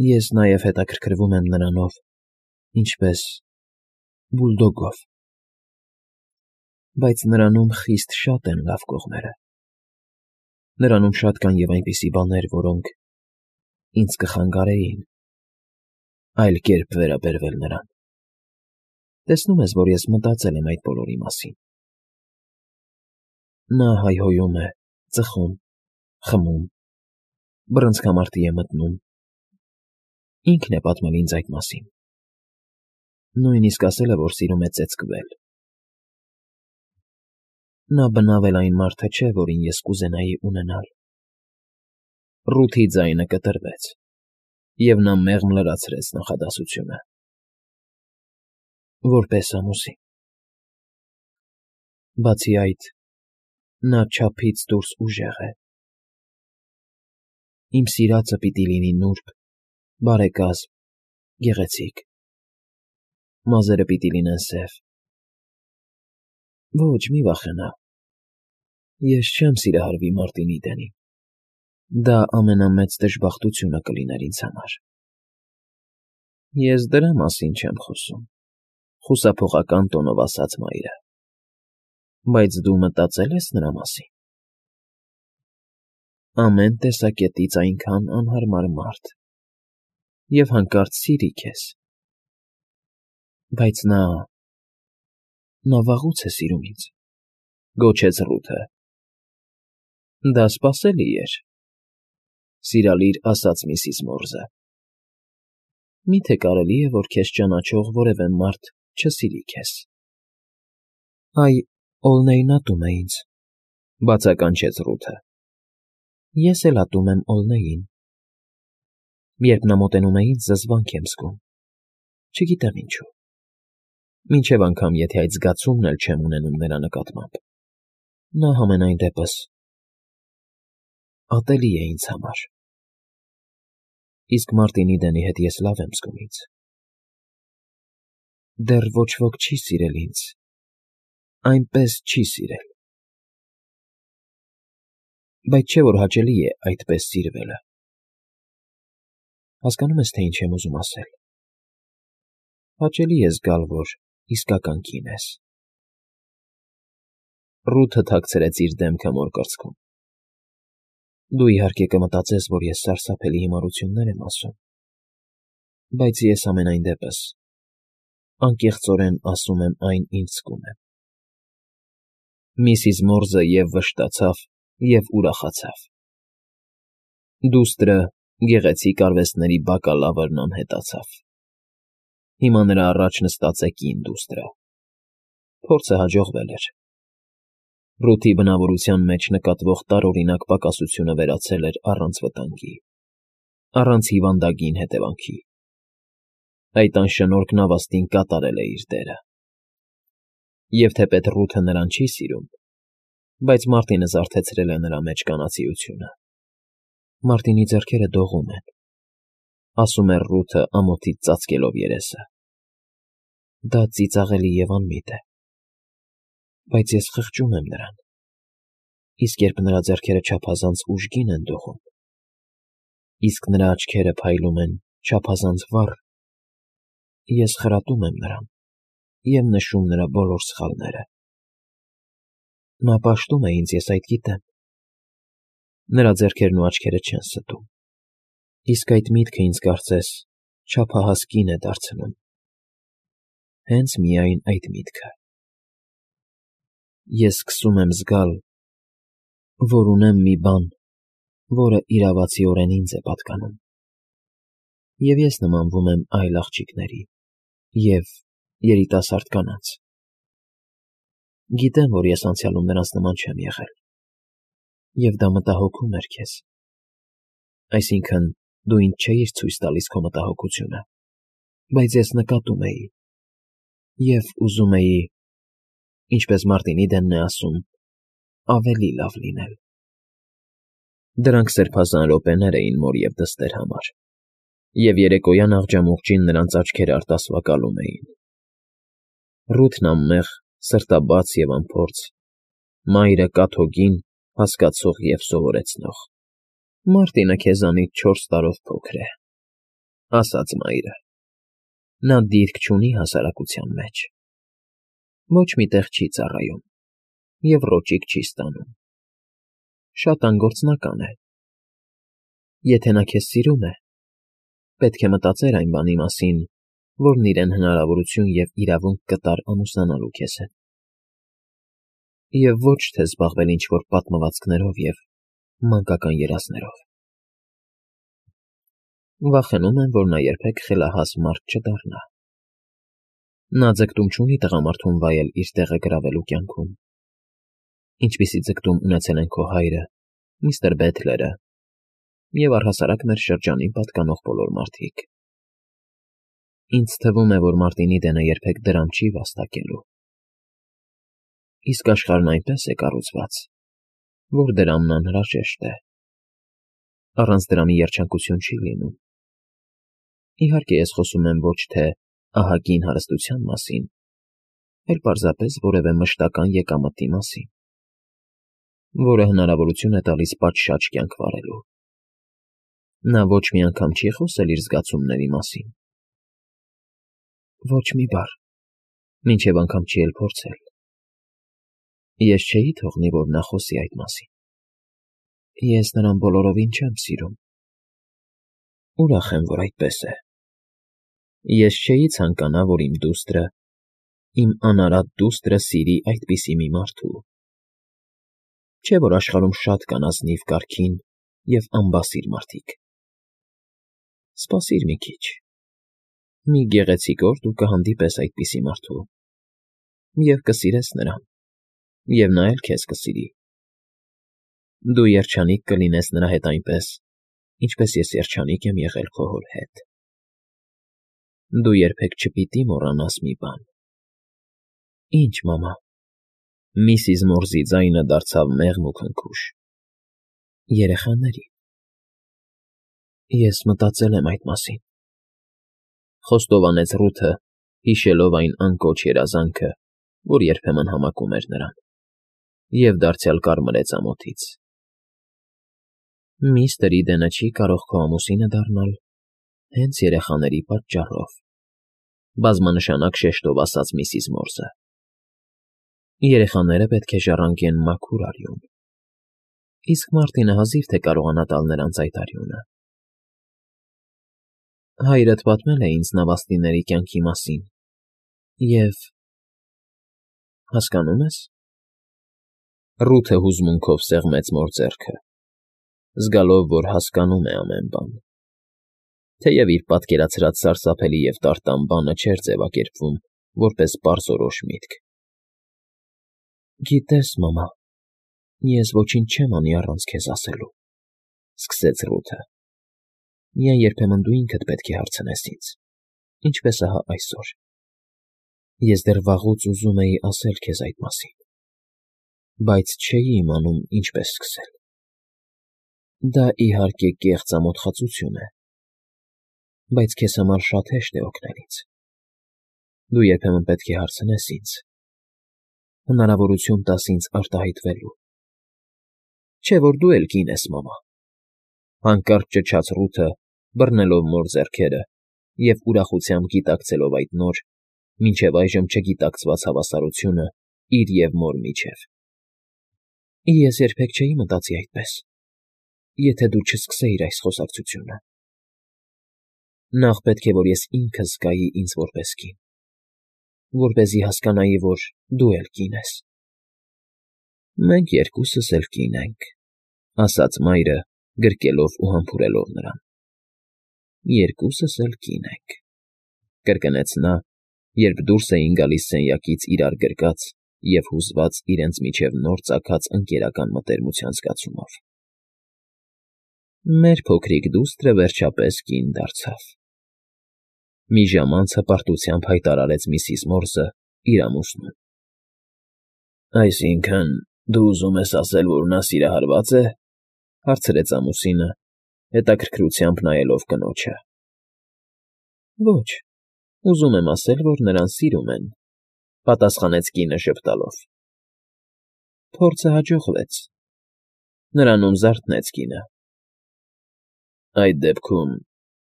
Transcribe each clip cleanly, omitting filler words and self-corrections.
Ես նաև հետաքրքրվում եմ նրանով, ինչպես բուլդոգով, բայց նրանում խիստ շատ են լավ կողմերը. նրանում շատ կան և այնպիսի բաներ, որոնք ինձ կխանգարեին այլ կերպ վերաբերվել նրան. տեսնում ես, որ ես մտածել եմ այդ բոլորի մասին։ Նա հայհոյում է, ծխում, խմում, բռնցքամարտի է մտնում, ինքն է պատմել ինձ այդ մասին, նույնիսկ ասել է, որ սիրում է ծեծկվել։ Նա բնավ էլ այն մարդը չէ, որին ես կուզենայի ունենալ։ Ռութի ձայնը կտրվեց, և նա մեղմ լրացրեց նախադասությունը. որպես ամուսին։ Բացի այդ, նա չափից դուրս ուժեղ է։ Իմ սիրածը պիտի լինի նուրբ, բարեկազմ, գեղեցիկ, մազերը պիտի լինեն սև։ Ոչ, մի վախենա, ես չեմ սիրահարվի Մարտին Իդենին, դա ամենամեծ դժբախտությունը կլիներ ինձ համար։ Ես դրա մասին չեմ խոսում, խուսափողական տոնով ասաց մայրը, բայց դու մտածե՞լ ես նրա մասին։ Ամեն տեսակետից այնքան անհարմար մարդ, և հանկարծ սիրի քեզ։ Բայց նա վաղուց է սիրում ինձ, գոչեց Ռութը։ Դա սպասելի էր, սիրալիր ասաց միսիս Մորզը։ Մի՞թե կարելի է, որ քեզ ճանաչող որևէ մարդ չսիրի քեզ։ Այ, Օլնեյն ատում է ինձ, բացականչեց Ռութը։ Ես էլ ատում եմ Օլնեյին։ Երբ նա մոտենում է ինձ, զզվանք եմ զգում, չգիտեմ ինչու, մինչև անգամ եթե այդ զգացումն էլ չեմ ունենում նրա նկատմամբ, նա համենայն դեպս ատելի է ինձ համար։ Իսկ Մարտին Իդենի հետ ես լավ եմ զգում ինձ։ Դեռ ոչ ոք չի սիրել ինձ, այնպես չի սիրել։ Բայց չէ՞ որ հաճելի է այդպես սիրվելը։ Հասկանո՞ւմ ես, թե ինչ եմ ուզում ասել։ Հաճելի է զգալ, որ իսկական կին ես։ Ռութը թաքցրեց իր դեմքը մոր կրծքում։ Դու իհարկե կմտածես, որ ես սարսափելի հիմարություններ եմ ասում, բայց ես ամենայն դեպս անկեղծորեն ասում եմ այն, ինչ զգում եմ։ Միսիս Մորզը և վշտացավ, և ուրախացավ։ Դուստրը, գեղեցիկ արվեստների բակալավրն անհետացավ։ Հիմա նրա առաջ նստած է կին դուստրը։ Փորձը հաջողվել էր։ Ռութի բնավորության մեջ նկատվող տարօրինակ պակասությունը վերացել էր առանց վտանգի, առանց հիվանդագին հետևանքի։ Այդ անշնորհք նավաստին կատարել է իր դերը։ Եվ թեպետ Ռութը նրան չի սիրում, բայց Մարտինը զարթեցրել է նրա մեջ կանացիությունը։ Մարտինի ձեռքերը դողում են, ասում է Ռութը ամոթից ծածկելով երեսը։ Դա ծիծաղելի և անմիտ է, բայց ես խղճում եմ նրան, իսկ երբ նրա ձեռքերը չափազանց ուժգին են դողում, իսկ նրա աչքերը փայլում են չափազանց վառ, ես խրատում եմ նրան և նշում նրա բոլոր սխալները։ Նա պաշտում է ինձ, ես այդ գիտեմ։ Նրա ձեռքերն ու աչքերը չեն ստում, իսկ այդ միտքը ինձ կարծես չափահաս կին է դարձնում։ Հենց միայն այդ միտքը։ Ես սկսում եմ զգալ, որ ունեմ մի բան, որը իրավացիորեն ինձ է պատկանում, և ես նմանվում եմ այլ աղջիկների և երիտասարդ կանանց։ Գիտեմ, որ ես անցյալում նրանց նման չեմ եղել, և դա մտահոգում էր քեզ, այսինքն՝ դու ինձ չէիր ցույց տալիս քո մտահոգությունը, բայց ես նկատում էի և ուզում էի, ինչպես Մարտին Իդենն է ասում, ավելի լավ լինել։ Դրանք սրբազան րոպեներ էին մոր և դստեր համար, և երեկոյան աղջամուղջին նրանց աչքերը արտասվակալում էին։ Ռութն անմեղ, սրտաբաց և անփորձ, մայրը կաթոկին, հասկացող և սովորեցնող։ Մարտինը քեզանից 4 տարով փոքր է։ ասաց մայրը։ Նա դիրք չունի հասարակության մեջ, ոչ մի տեղ չի ծառայում և ռոճիկ չի ստանում, շատ անգործնական է։ Եթե նա քեզ սիրում է, պետք է մտածեր այն բանի մասին, որն իրեն հնարավորություն և իրավունք կտար ամուսնանալու քեզ հետ, և ոչ թե զբաղվել ինչ-որ պատմվածքներով և մանկական երազներով։ Վախենում եմ, որ նա երբեք խելահաս մարդ չդառնա։ Նա ձգտում չունի տղամարդուն վայել իր տեղը գրավելու կյանքում, ինչպիսի ձգտում ունեցել են քո հայրը, միստր Բեթլերը և առհասարակ մեր շրջանին պատկանող բոլոր մարդիկ։ Ինձ թվում է, որ Մարտինի դենը երբեք դրամ չի վաստակելու։ Իսկ աշխարհն այնպես է կառուցված, որ դրամն անհրաժեշտ է։ Առանց դրամի երջանկություն չի լինում։ Իհարկե, ես խոսում եմ ոչ թե ահագին հարստության մասին, այլ պարզապես որևէ մշտական եկամտի մասին, որը հնարավորություն է տալիս պատշաճ կյանք վարելու։ Նա ոչ մի անգամ չի խոսել իր զգացումների մասին։ Ոչ մի բառ, մինչև անգամ չի էլ փորձել։ Ես չէի թողնի, որ նա խոսի այդ մասին։ Ես նրան բոլորովին չեմ սիրում։ Ուրախ եմ, որ այդպես է։ Ես չէի ցանկանա, որ իմ դուստրը, իմ անարատ դուստրը սիրի այդպիսի մի մարդու։ Չէ՞ որ աշխարհում շատ կան ազնիվ կարգին և անբասիր մարդիկ։ Սպասիր մի քիչ։ Մի գեղեցիկ օր դու կհանդիպես այդպիսի մարդու և կսիրես նրան, և նա էլ քեզ կսիրի։ Դու երջանիկ կլինես նրա հետ այնպես, ինչպես ես երջանիկ եմ եղել քո հոր հետ։ Դու երբեք չպիտի մոռանաս մի բան։ Ինչ, մամա։ Միսիս Մորզի ձայնը դարձավ մեղմ ու քնքուշ։ Երեխաների։ Ես մտածել եմ այդ մասին, խոստովանեց Ռութը, հիշելով այն անկոչ երազանքը, որ երբեմն համակում էր նրան, և դարձյալ կարմրեց ամոթից։ Միստր Իդենը չի կարող քո ամուսինը դառնալ հենց երեխաների պատճառով, բազմանշանակ շեշտով ասաց միսիս Մորզը։ Երեխաները պետք է ժառանգեն մաքուր արյուն, իսկ Մարտինը հազիվ թե կարողանա տալ նրանց այդ արյունը։ Հայրդ պատմել է ինձ նավաստիների կյանքի մասին, և… հասկանո՞ւմ ես։ Ռութը հուզմունքով սեղմեց մոր ձեռքը, զգալով, որ հասկանում է ամեն բան, թեև իր պատկերացրած սարսափելի և տարտան բանը չէր ձևակերպվում որպես պարզորոշ միտք։ Գիտես, մամա, ես ոչինչ չեմ անի առանց քեզ ասելու, սկսեց Ռութը։ Միայն երբեմն դու ինքդ պետք է հարցնես ինձ, ինչպես ահա այսօր։ Ես դեռ վաղուց ուզում էի ասել քեզ այդ մասին, բայց չէի իմանում ինչպես սկսել։ Դա, իհարկե, կեղծ ամոթխածություն է, բայց քեզ համար շատ հեշտ է օգնել ինձ։ Դու երբեմն պետք է հարցնես ինձ, հնարավորություն տաս ինձ արտահայտվելու։ Չէ՞ որ դու էլ կին ես, մամա։ Հանկարծ ճչաց Ռութը, բռնելով մոր ձեռքերը և ուրախությամբ գիտակցելով այդ նոր, մինչև այժմ չգիտակցված հավասարությունը իր և մոր միջև։ Ես երբեք չէի մտածի այդպես, եթե դու չսկսեիր այս խոսակցությունը։ Նախ պետք է, որ ես ինքս զգայի ինձ որպես կին, որպեսզի հասկանայի, որ դու էլ կին ես։ Մենք երկուսս էլ կին ենք, ասաց մայրը, գրկելով ու համբուրելով նրան։ Երկուսս էլ կին ենք, կրկնեց նա, երբ դուրս էին գալիս սենյակից իրար գրկած և հուզված իրենց միջև նոր ծագած ընկերական մտերմության զգացումով։ Մեր փոքրիկ դուստրը վերջապես կին դարձավ։ Մի ժամ անց հպարտությամբ հայտարարեց միսիս Մորզը իր ամուսնուն։ Այսինքն, դու ուզում ես ասել, որ նա սիրահարվա՞ծ է, հարցրեց ամուսինը, հետաքրքրությամբ նայելով կնոջը։ Ոչ, ուզում եմ ասել, որ նրան սիրում են, պատասխանեց կինը ժպտալով։ Փորձը հաջողվեց։ Նրանում զարթնեց կինը։ Այդ դեպքում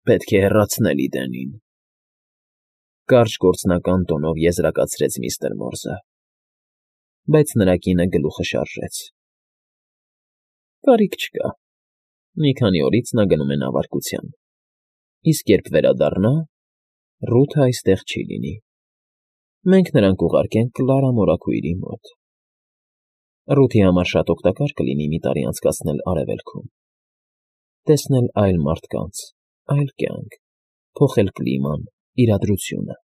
Պետք է հեռացնել Իդենին,֊ կարճ գործնական տոնով եզրակացրեց միստր Մորզը, բայց նրա կինը գլուխը շարժեց։ Կարիք չկա, մի քանի օրից նա գնում է նավարկության, իսկ երբ վերադառնա, Ռութը այստեղ չի լինի, մենք նրան կուղարկենք Կլարա մորաքույրի մոտ։ Ռութի համար շատ օգտակար կլինի մի տարի անցկացնել Արևելքում, տեսնել այլ մարդկանց, այլ կյանք, փոխել կլիման, իրադրությունը։